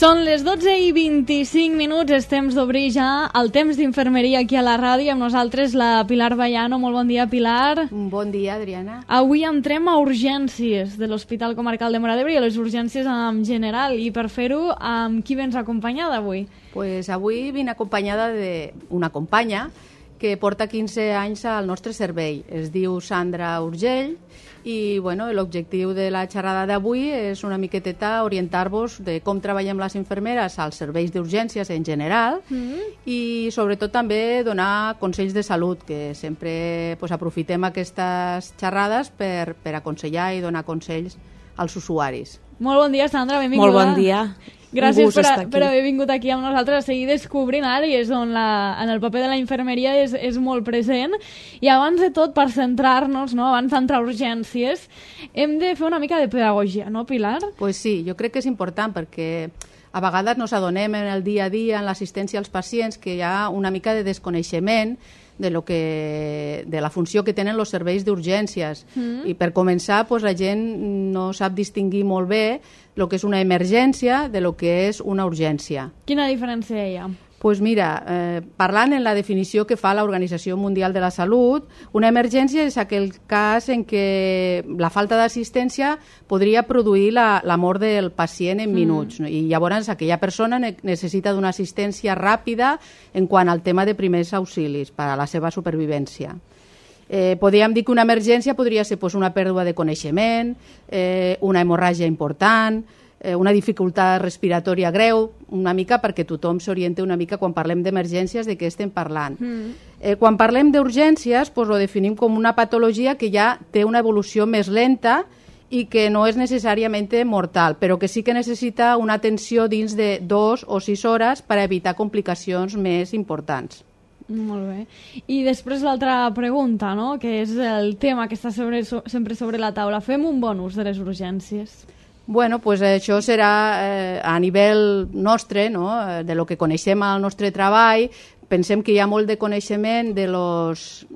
Són les 12:25, és temps d'obrir ja el temps d'infermeria aquí a la ràdio, amb nosaltres la Pilar Vallano. Molt bon dia, Pilar. Bon dia, Adriana. Avui entrem a urgències de l'Hospital Comarcal de Móra d'Ebre i a les urgències en general, i per fer-ho, amb qui vens acompanyada avui? Pues avui vinc acompanyada d'una companya que porta 15 anys al nostre servei. Es diu Sandra Urgell i l'objectiu de la xerrada d'avui és una miqueteta orientar-vos de com treballem les infermeres als serveis d'urgències en general i sobretot també donar consells de salut, que sempre aprofitem aquestes xerrades per aconsellar i donar consells als usuaris. Molt bon dia, Sandra, benvinguda. Molt bon dia. Gràcies per haver vingut aquí amb nosaltres a seguir descobrint àrees on en el paper de la infermeria és molt present. I abans de tot, per centrar-nos, abans d'entrar a urgències, hem de fer una mica de pedagogia, no, Pilar? Pues sí, jo crec que és important perquè a vegades nos adonem en el dia a dia, en l'assistència als pacients, que hi ha una mica de desconeixement de la funció que tenen els serveis d'urgències. I per començar, la gent no sap distingir molt bé el que és una emergència de lo que és una urgència. Quina diferència hi ha? Pues mira, parlant en la definició que fa l'Organització Mundial de la Salut, una emergència és aquell cas en què la falta d'assistència podria produir la mort del pacient en minuts. I llavors aquella persona necessita d'una assistència ràpida en quant al tema de primers auxilis per a la seva supervivència. Podríem dir que una emergència podria ser una pèrdua de coneixement, una hemorràgia important, una dificultat respiratòria greu, una mica perquè tothom s'orienta una mica quan parlem d'emergències de què estem parlant. Quan parlem d'urgències, ho definim com una patologia que ja té una evolució més lenta i que no és necessàriament mortal, però que sí que necessita una atenció dins de 2 o 6 hores per evitar complicacions més importants. Molt bé. I després l'altra pregunta, que és el tema que està sempre sobre la taula. Fem un bon ús de les urgències? Això serà a nivell nostre, de lo que coneixem al nostre treball. Pensem que hi ha molt de coneixement de los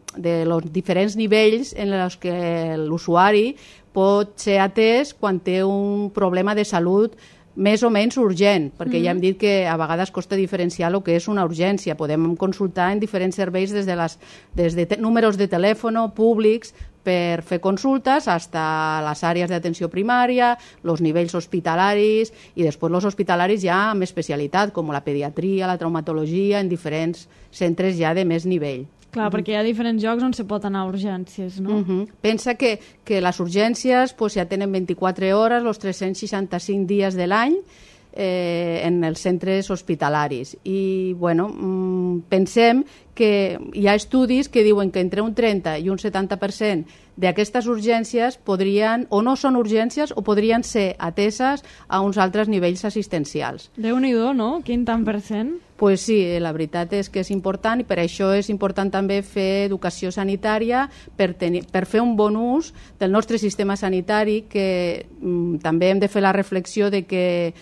diferents nivells en els que l'usuari pot ser atès quan té un problema de salut més o menys urgent, perquè ja hem dit que a vegades costa diferenciar el que és una urgència. Podem consultar en diferents serveis des de números de telèfon públics per fer consultes fins a les àrees d'atenció primària, els nivells hospitalaris i després els hospitalaris ja amb especialitat, com la pediatria, la traumatologia, en diferents centres ja de més nivell. Clar, perquè hi ha diferents llocs on se pot anar a urgències, no? Pensa que les urgències ja tenen 24 hores, els 365 dies de l'any, en els centres hospitalaris. I, pensem que hi ha estudis que diuen que entre un 30 i un 70% d'aquestes urgències podrien, o no són urgències, o podrien ser ateses a uns altres nivells assistencials. Déu-n'hi-do, no? Quin tant per cent? Pues sí, la veritat és que és important i per això és important també fer educació sanitària per fer un bon ús del nostre sistema sanitari, que també hem de fer la reflexió de que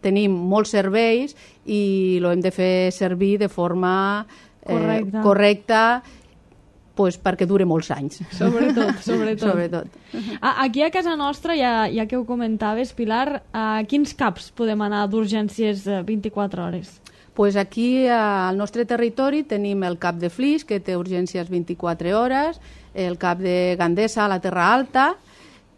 tenim molts serveis i l'hem de fer servir de forma correcta perquè dure molts anys. Sobretot. Aquí a casa nostra, ja que ho comentaves, Pilar, a quins CAPs podem anar d'urgències 24 hores? Pues aquí al nostre territori tenim el CAP de Flix, que té urgències 24 hores, el CAP de Gandesa a la Terra Alta,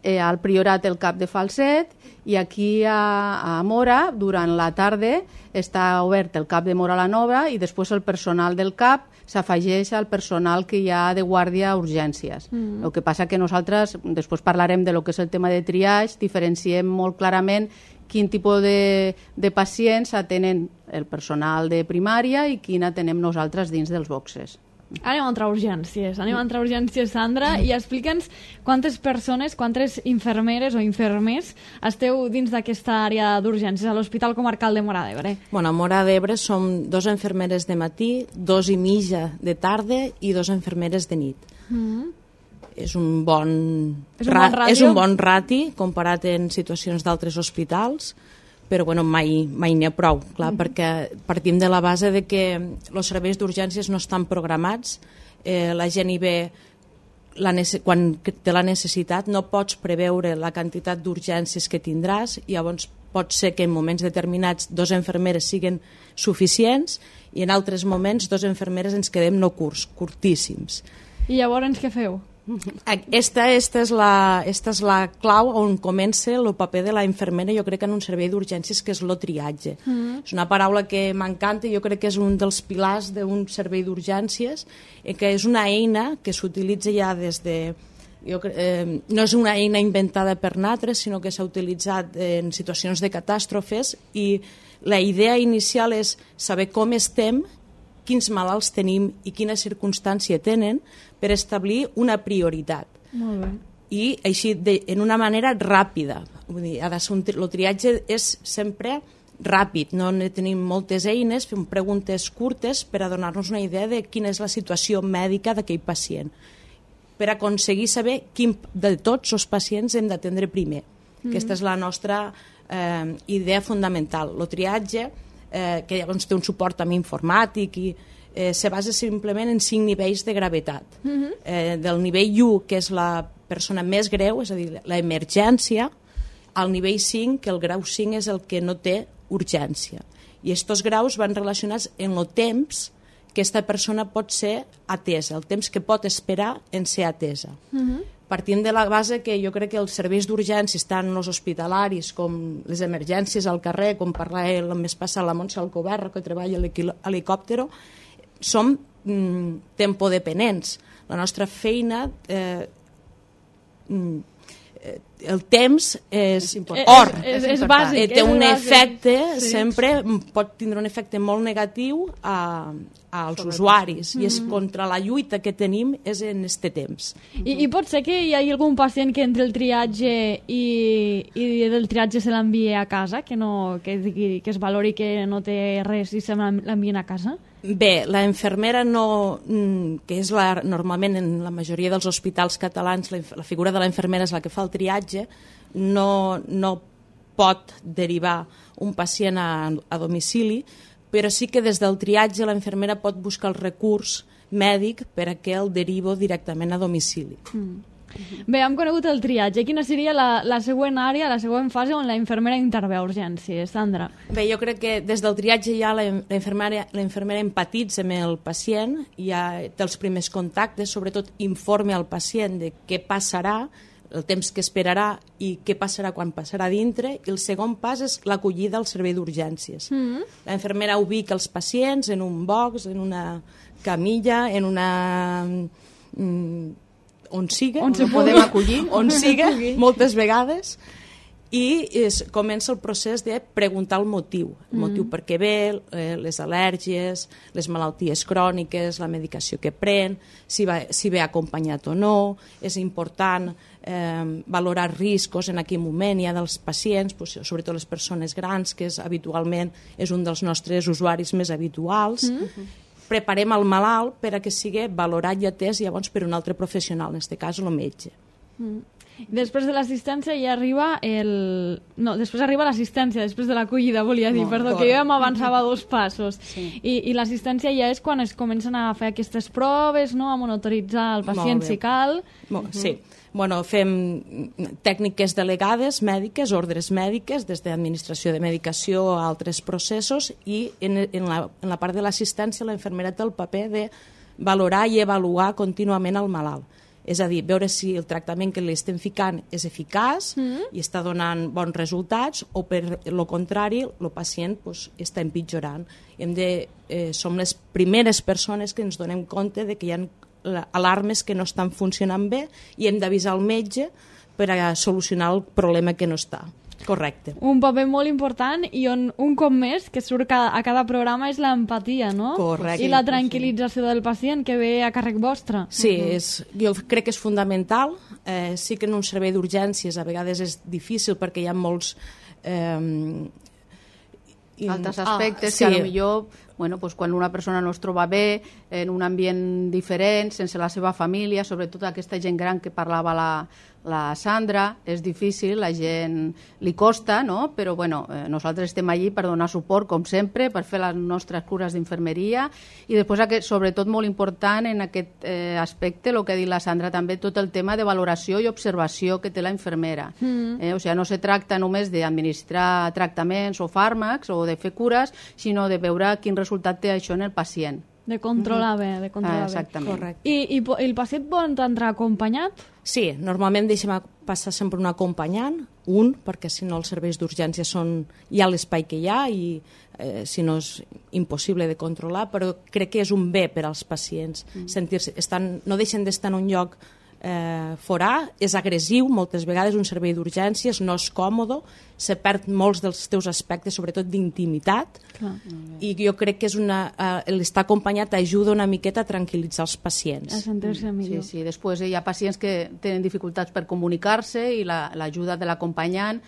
al Priorat el CAP de Falset, i aquí a Móra, durant la tarda, està obert el CAP de Móra la Nova i després el personal del CAP s'afegeix al personal que hi ha de guàrdia a urgències. El que passa que nosaltres, després parlarem de lo que és el tema de triage, diferenciem molt clarament quin tipus de pacients atenen el personal de primària i quin atenem nosaltres dins dels boxes. Anem a entrar a urgències, Sandra, i explica'ns quantes persones, quantes infermeres o infermers esteu dins d'aquesta àrea d'urgències a l'Hospital Comarcal de Móra d'Ebre. A Móra d'Ebre som 2 infermeres de matí, 2 i mitja de tarda i 2 infermeres de nit. És un bon rati comparat en situacions d'altres hospitals, però mai n'hi ha prou, clar, perquè partim de la base de que els serveis d'urgències no estan programats, la gent hi ve quan té la necessitat no pots preveure la quantitat d'urgències que tindràs, i llavors pot ser que en moments determinats 2 infermeres siguin suficients i en altres moments 2 infermeres ens quedem no curtíssims. I llavors què feu? Esta és la clau on comença el paper de la infermera, jo crec que en un servei d'urgències, que és el triatge. És una paraula que m'encanta, jo crec que és un dels pilars d'un servei d'urgències, que és una eina que s'utilitza ja des de... no és una eina inventada per nosaltres, sinó que s'ha utilitzat en situacions de catàstrofes, i la idea inicial és saber com estem, quins malalts tenim i quina circumstància tenen, per establir una prioritat. Molt bé. I així, en una manera ràpida. Vull dir, el triatge és sempre ràpid, no tenim moltes eines, fem preguntes curtes per a donar-nos una idea de quina és la situació mèdica d'aquell pacient, per aconseguir saber quin de tots els pacients hem d'atendre primer. Aquesta és la nostra idea fundamental. El triatge, que llavors té un suport també informàtic, i se basa simplement en 5 nivells de gravetat. Del nivell 1, que és la persona més greu, és a dir, l'emergència, al nivell 5, que el grau 5 és el que no té urgència. I aquests graus van relacionats en el temps que aquesta persona pot ser atesa, el temps que pot esperar en ser atesa. Partint de la base que jo crec que els serveis d'urgències, tant els hospitalaris com les emergències al carrer, com parlava el mes passat la Montse Alcoberra, que treballa a l'helicòptero, som tempodependents. La nostra feina, el temps és or. És bàsic. Té un efecte, sempre pot tindre un efecte molt negatiu als usuaris, i és contra la lluita que tenim és en este temps. I pot ser que hi hagi algun pacient que entre el triatge i del triatge se l'envie a casa, que es valori que no té res i se l'envien a casa? Bé, la infermera que és normalment en la majoria dels hospitals catalans la figura de la infermera és la que fa el triatge, no pot derivar un pacient a domicili, però sí que des del triatge la infermera pot buscar el recurs mèdic per a que el derivo directament a domicili. Bé, hem conegut el triatge. Quina seria la següent àrea, la següent fase on la infermera intervé a urgències, Sandra? Bé, jo crec que des del triatge ja la infermera empatitza amb el pacient, ja té els primers contactes, sobretot informa al pacient de què passarà, el temps que esperarà i què passarà quan passarà dintre, i el segon pas és l'acollida al servei d'urgències. La infermera ubica els pacients en un box, en una camilla, en una... on siga, on siga, moltes vegades, i comença el procés de preguntar el motiu per què ve, les al·lèrgies, les malalties cròniques, la medicació que pren, si ve acompanyat o no. És important valorar riscos en aquell moment ja dels pacients, sobretot les persones grans, que habitualment és un dels nostres usuaris més habituals. Preparem el malalt per a que sigui valorat i atès llavors per un altre professional, en aquest cas el metge. Després de l'assistència ja arriba després arriba l'assistència, després de l'acollida, volia dir, perdó, que jo ja m'avançava 2 passos. I l'assistència ja és quan es comencen a fer aquestes proves, a monitoritzar el pacient si cal. Sí. Fem tècniques delegades mèdiques, ordres mèdiques, des d'administració de medicació a altres processos, i en la part de l'assistència la infermera té el paper de valorar i avaluar contínuament el malalt. És a dir, veure si el tractament que li estem ficant és eficaç i està donant bons resultats, o per el contrari, el pacient està empitjorant. Som les primeres persones que ens donem compte de que hi ha alarmes que no estan funcionant bé i hem d'avisar el metge per a solucionar el problema que no està. Correcte. Un paper molt important, i on un cop més que surt a cada programa és l'empatia, no? Correcte. I la tranquil·lització del pacient, que ve a càrrec vostre. Sí, jo crec que és fundamental. Sí que en un servei d'urgències a vegades és difícil perquè hi ha molts... altres aspectes que potser bueno, pues quan una persona no es troba bé, en un ambient diferent, sense la seva família, sobretot aquesta gent gran que parlava la Sandra, és difícil, la gent li costa, no? Però bueno, nosaltres estem allí per donar suport, com sempre, per fer les nostres cures d'infermeria i després, sobretot molt important en aquest aspecte, el que ha dit la Sandra també, tot el tema de valoració i observació que té la infermera. O sigui, no se tracta només d'administrar tractaments o fàrmacs o de fer cures, sinó de veure quin resultat té això en el pacient. De controlar bé, de controlar bé. Exactament. I el pacient pot entrar acompanyat? Sí, normalment deixem passar sempre un acompanyant, perquè si no els serveis d'urgència hi ha l'espai que hi ha i si no és impossible de controlar, però crec que és un bé per als pacients sentir-se, no deixen d'estar en un lloc forà, és agressiu moltes vegades un servei d'urgències, no és còmode, se perd molts dels teus aspectes, sobretot d'intimitat, i jo crec que l'estar acompanyat ajuda una miqueta a tranquil·litzar els pacients. A sentir-se millor. Sí. Després hi ha pacients que tenen dificultats per comunicar-se i l'ajuda de l'acompanyant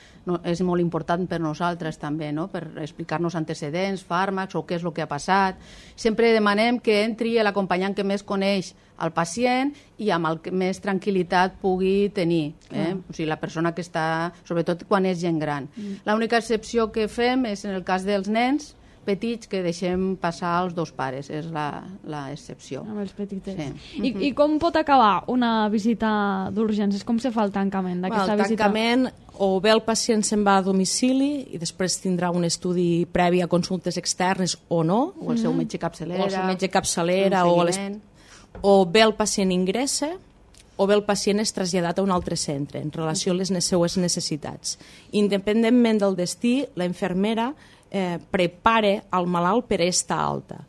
és molt important per nosaltres també, no? Per explicar-nos antecedents, fàrmacs o què és el que ha passat. Sempre demanem que entri l'acompanyant que més coneix al pacient i amb el que més tranquil·litat pugui tenir. O sigui, la persona que està, sobretot quan és gent gran. L'única excepció que fem és en el cas dels nens petits que deixem passar els dos pares, és l'excepció. Amb els petitets. Sí. I com pot acabar una visita d'urgències? Com se fa el tancament d'aquesta visita? El tancament, o bé el pacient se'n va a domicili i després tindrà un estudi previ a consultes externes o no. O el seu metge capçalera. O el seu metge capçalera. O bé el pacient ingressa o bé el pacient és traslladat a un altre centre en relació a les seues necessitats. Independentment del destí, la infermera prepara el malalt per estar alta.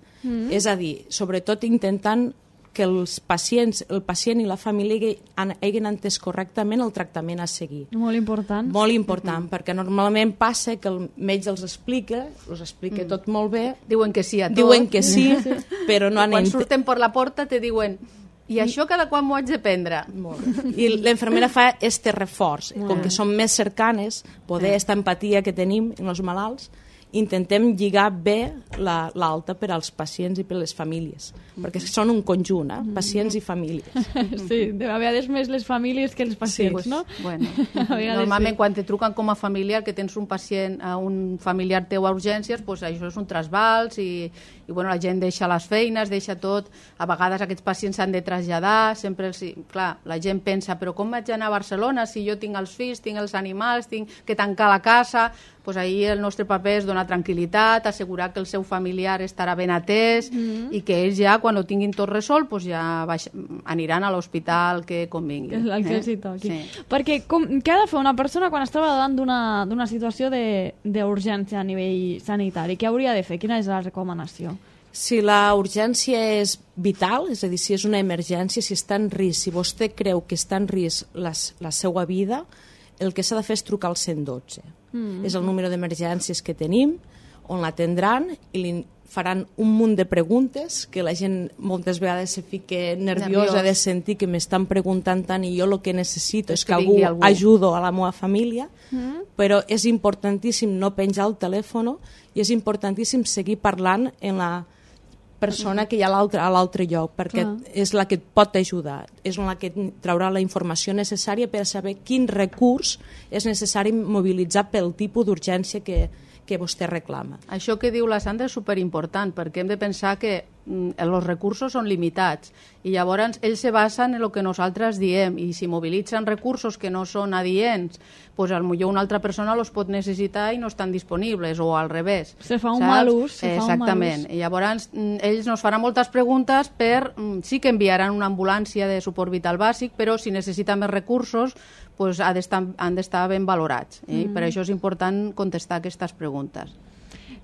És a dir, sobretot intentant que el pacient i la família hagin entès correctament el tractament a seguir. Molt important. Molt important, perquè normalment passa que el metge els explica tot molt bé. Diuen que sí a tot. Diuen que sí, però no han entès. Quan surten per la porta te diuen i això cada quan m'ho haig de prendre? I l'infermera fa este reforç. Com que som més cercanes, poder aquesta empatia que tenim en els malalts, intentem lligar bé l'alta per als pacients i per les famílies, perquè són un conjunt, pacients i famílies. Sí, a vegades més les famílies que els pacients, no? Bueno, normalment quan te truquen com a familiar que tens un pacient, un familiar teu a urgències, doncs això és un trasbals i bueno, la gent deixa les feines, deixa tot. A vegades aquests pacients s'han de traslladar, sempre clar, la gent pensa, però com vaig anar a Barcelona si jo tinc els fills, tinc els animals, tinc que tancar la casa? Doncs ahir el nostre paper és donar tranquil·litat, assegurar que el seu familiar estarà ben atès i que ells ja, quan ho tinguin tot resolt, doncs ja aniran a l'hospital que convingui. El que els hi toqui. Sí. Perquè què ha de fer una persona quan estava davant d'una situació d'urgència a nivell sanitari? Què hauria de fer? Quina és la recomanació? Si la urgència és vital, és a dir, si és una emergència, si està en risc, si vostè creu que està en risc la seva vida, el que s'ha de fer és trucar al 112. És el número d'emergències que tenim, on l'atendran i li faran un munt de preguntes que la gent moltes vegades se fica nerviosa de sentir que m'estan preguntant tant i jo el que necessito és que algú ajudo a la meva família, però és importantíssim no penjar el telèfon i és importantíssim seguir parlant en la persona que hi ha a l'altre lloc, perquè és la que et pot ajudar, és la que traurà la informació necessària per saber quin recurs és necessari mobilitzar pel tipus d'urgència que vostè reclama. Això que diu la Sandra és superimportant, perquè hem de pensar que els recursos són limitats i llavors ells se basen en el que nosaltres diem i si mobilitzen recursos que no són adients, doncs potser una altra persona els pot necessitar i no estan disponibles o al revés. Se fa un mal ús. Exactament. I llavors ells nos faran moltes preguntes sí que enviaran una ambulància de suport vital bàsic, però si necessita més recursos doncs han d'estar ben valorats. Per això és important contestar aquestes preguntes.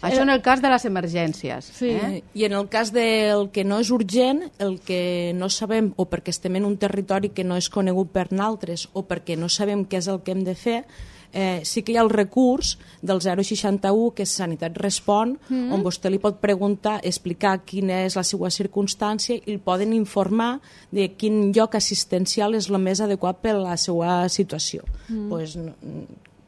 Això en el cas de les emergències. Sí. I en el cas del que no és urgent, el que no sabem, o perquè estem en un territori que no és conegut per nosaltres, o perquè no sabem què és el que hem de fer, sí que hi ha el recurs del 061, que és Sanitat Respon, on vostè li pot preguntar, explicar quina és la seva circumstància i el poden informar de quin lloc assistencial és el més adequat per a la seva situació.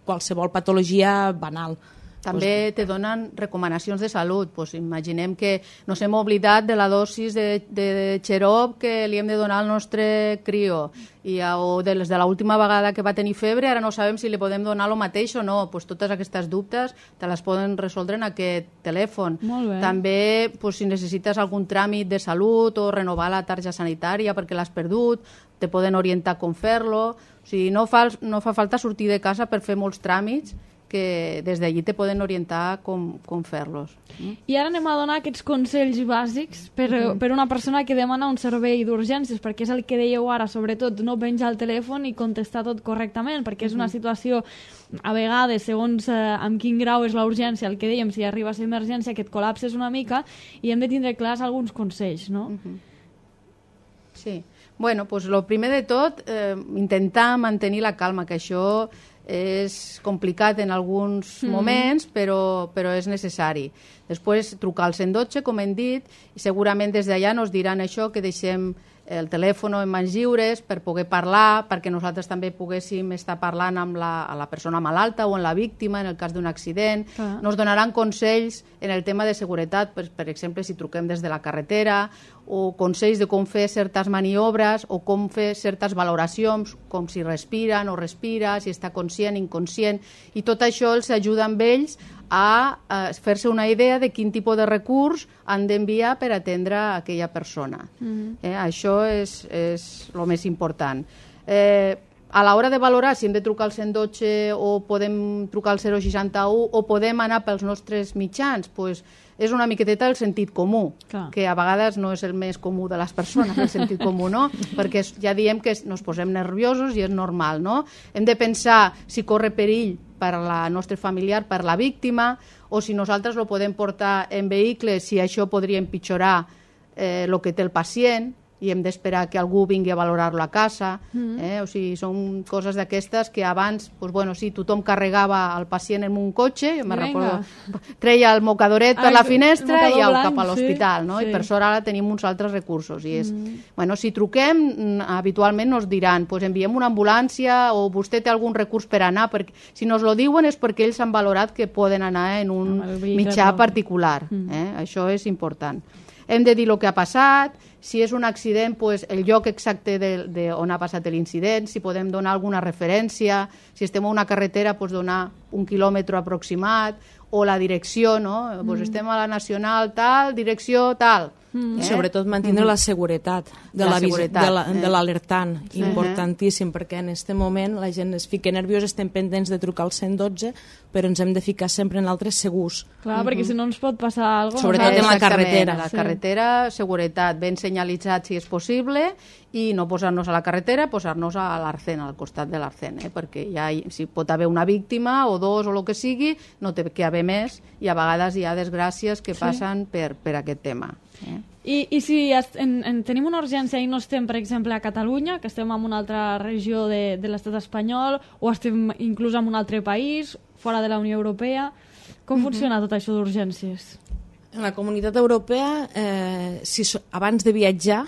Qualsevol patologia banal, També te donen recomanacions de salut. Pues imaginem que nos hem oblidat de la dosis de xarop que li hem de donar al nostre crió, o de l'última vegada que va tenir febre, ara no sabem si li podem donar el mateix o no. Pues totes aquestes dubtes te les poden resoldre en aquest telèfon. També, pues, si necessites algun tràmit de salut o renovar la targeta sanitària perquè l'has perdut, te poden orientar com fer-lo. O sigui, no fa falta sortir de casa per fer molts tràmits, que des d'allí te poden orientar com fer-los. I ara anem a donar aquests consells bàsics per una persona que demana un servei d'urgències, perquè és el que dèieu ara, sobretot, no penjar el telèfon i contestar tot correctament, perquè és una situació, a vegades, segons amb quin grau és la urgència, el que dèiem, si arriba a ser emergència, que et col·lapses una mica, i hem de tindre clars alguns consells, no? Sí. Bueno, doncs el primer de tot, intentar mantenir la calma, que això és complicat en alguns moments, però és necessari. Després trucar al 112, com hem dit, i segurament des d'allà ens diran això, que deixem el telèfon en mans lliures per poder parlar, perquè nosaltres també poguéssim estar parlant amb la persona malalta o amb la víctima en el cas d'un accident. Nos donaran consells en el tema de seguretat, per exemple, si truquem des de la carretera, o consells de com fer certes maniobres o com fer certes valoracions, com si respira, no respira, si està conscient, inconscient, i tot això els ajuda amb ells a fer-se una idea de quin tipus de recurs han d'enviar per atendre aquella persona. Això és el més important. A l'hora de valorar si hem de trucar al 112 o podem trucar al 061 o podem anar pels nostres mitjans, doncs és una miqueteta el sentit comú, que a vegades no és el més comú de les persones, el sentit comú, no? Perquè ja diem que ens posem nerviosos i és normal, no? Hem de pensar si corre perill per al nostre familiar, per la víctima, o si nosaltres lo podem portar en vehicle, si això podria empitjorar el que té el pacient, i hem d'esperar que algú vingui a valorar-lo a casa. O sigui, són coses d'aquestes que abans, tothom carregava el pacient en un cotxe, jo me recordo, treia el mocadoret per la finestra i cap a l'hospital, no? I per sort ara tenim uns altres recursos. I si truquem, habitualment ens diran, enviem una ambulància o vostè té algun recurs per anar, perquè si nos lo diuen és perquè ells han valorat que poden anar en un mitjà particular. Això és important. Hem de dir el que ha passat, si és un accident, el lloc exacte on ha passat l'incident, si podem donar alguna referència, si estem a una carretera, donar un quilòmetre aproximat, o la direcció, no? Estem a la Nacional tal, direcció tal. Sobretot mantenir la seguretat de l'alertant, importantíssim, perquè en aquest moment la gent es fica nerviosa, estem pendents de trucar al 112, però ens hem de ficar sempre en altres segurs. Clar, perquè si no ens pot passar alguna cosa. Sobretot en la carretera. A la carretera, seguretat, ben senyalitzat si és possible, i no posar-nos a la carretera, posar-nos a l'Arcén, al costat de l'Arcén, perquè si pot haver una víctima o dos o el que sigui, no té que haver més, i a vegades hi ha desgràcies que passen per aquest tema. I si tenim una urgència i no estem, per exemple, a Catalunya, que estem en una altra regió de l'estat espanyol, o estem inclús en un altre país, fora de la Unió Europea, com funciona tot això d'urgències? En la Comunitat Europea, abans de viatjar,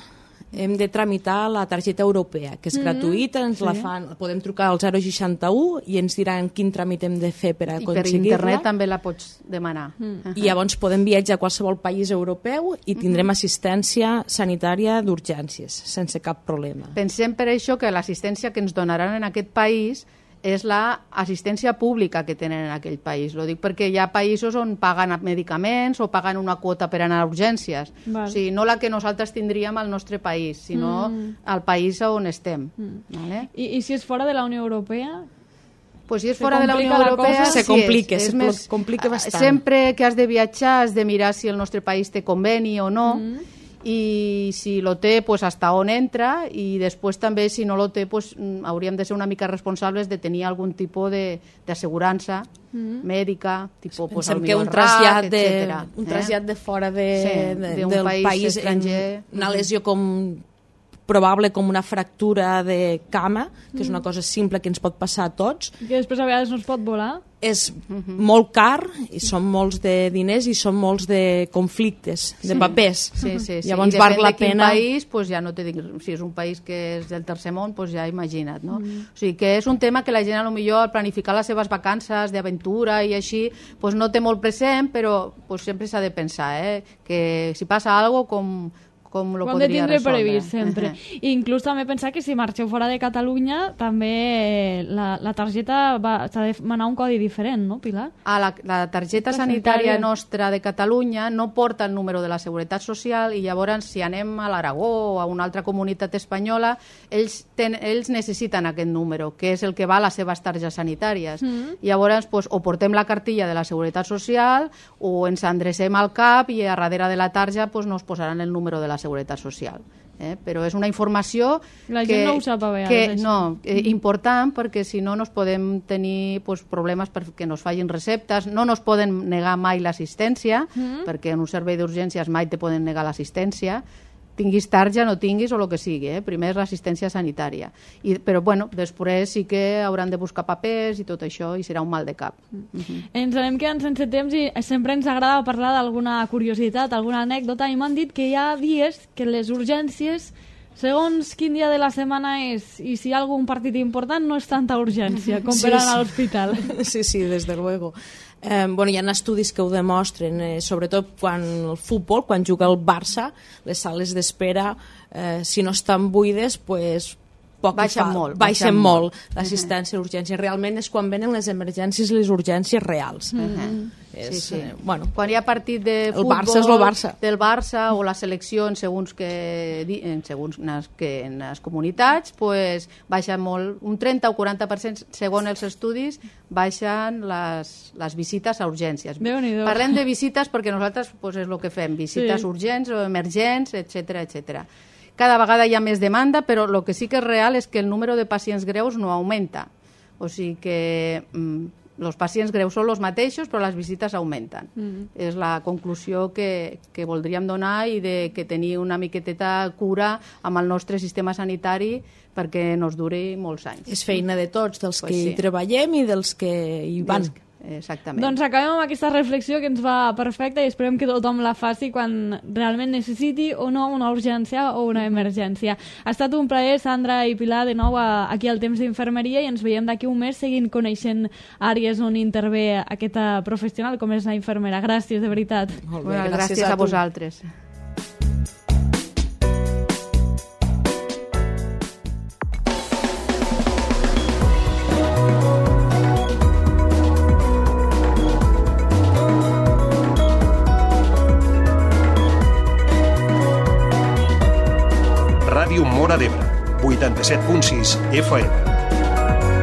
hem de tramitar la targeta europea, que és gratuïta, ens la fan, podem trucar al 061 i ens diran quin tràmit hem de fer per aconseguir-la. I per internet també la pots demanar. I llavors podem viatjar a qualsevol país europeu i tindrem assistència sanitària d'urgències, sense cap problema. Pensem per això que l'assistència que ens donaran en aquest país és l'assistència pública que tenen en aquell país. Ho dic perquè hi ha països on paguen medicaments o paguen una quota per anar a urgències. O sigui, no la que nosaltres tindríem al nostre país, sinó al país on estem. I si és fora de la Unió Europea? Pues si és fora de la Unió Europea, se complica bastant. Sempre que has de viatjar has de mirar si el nostre país té conveni o no, i si lo té, pues hasta on entra, i després també, si no lo té, pues hauríem de ser una mica responsables de tenir algun tipus d'assegurança mèdica, tipus pues, que un trasllat de fora del país estranger, una lesió com probable com una fractura de cama, que és una cosa simple que ens pot passar a tots. Que després a vegades no es pot volar. És molt car, i són molts de diners i són molts de conflictes, de papers. Sí. Llavors I val la quin pena... país, pues ja no te dic, si és un país que és del tercer món, pues ja imagina't, no? O sigui, que és un tema que la gent a lo millor al planificar les seves vacances d'aventura i així, pues no té molt present, però pues sempre s'ha de pensar, que si passa alguna cosa, com lo podria resoldre. Previst sempre. I inclús també pensar que si marxeu fora de Catalunya també la targeta s'ha de demanar un codi diferent, no, Pilar? La targeta sanitària nostra de Catalunya no porta el número de la Seguretat Social i llavors si anem a l'Aragó o a una altra comunitat espanyola ells necessiten aquest número, que és el que va a les seves targetes sanitàries. Llavors pues, o portem la cartilla de la Seguretat Social o ens endrecem al CAP i a darrere de la tarja pues, nos posaran el número de la Seguretat Social. Però és una informació gent no ho sap a vegades, important, perquè si no nos podem tenir problemes perquè nos fallin receptes, no nos poden negar mai l'assistència, perquè en un servei d'urgències mai te poden negar l'assistència, tinguis tarja, no tinguis o el que sigui, primer és l'assistència sanitària. Però bueno, després sí que hauran de buscar papers i tot això i serà un mal de cap. Ens anem quedant sense temps i sempre ens agrada parlar d'alguna curiositat, alguna anècdota, i m'han dit que hi ha dies que les urgències, segons quin dia de la setmana és i si hi ha algun partit important, no és tanta urgència com per anar a l'hospital. Sí, des de luego. Hi ha estudis que ho demostren, sobretot quan el futbol, quan juga el Barça, les sales d'espera, si no estan buides, baixen molt l'assistència a l'urgència. Realment és quan venen les emergències i les urgències reals. Quan hi ha partit de futbol del Barça o la selecció en segons les comunitats, baixa molt, un 30 o 40%, segons els estudis, baixen les visites a urgències. Parlem de visites perquè nosaltres és el que fem, visites urgents o emergents, etc. Cada vegada hi ha més demanda, però el que sí que és real és que el número de pacients greus no augmenta. O sigui que els pacients greus són els mateixos, però les visites augmenten. És la conclusió que voldríem donar i que tenir una miqueteta cura amb el nostre sistema sanitari perquè nos duri molts anys. És feina de tots, dels que hi treballem i dels que hi van. Exactament. Doncs acabem amb aquesta reflexió que ens va perfecta i esperem que tothom la faci quan realment necessiti o no una urgència o una emergència. Ha estat un plaer, Sandra i Pilar, de nou aquí al Temps d'Infermeria i ens veiem d'aquí un mes seguint coneixent àrees on intervé aquesta professional com és la infermera. Gràcies, de veritat. Molt bé, gràcies a vosaltres. Ràdio Móra d'Ebre, 87.6 FM.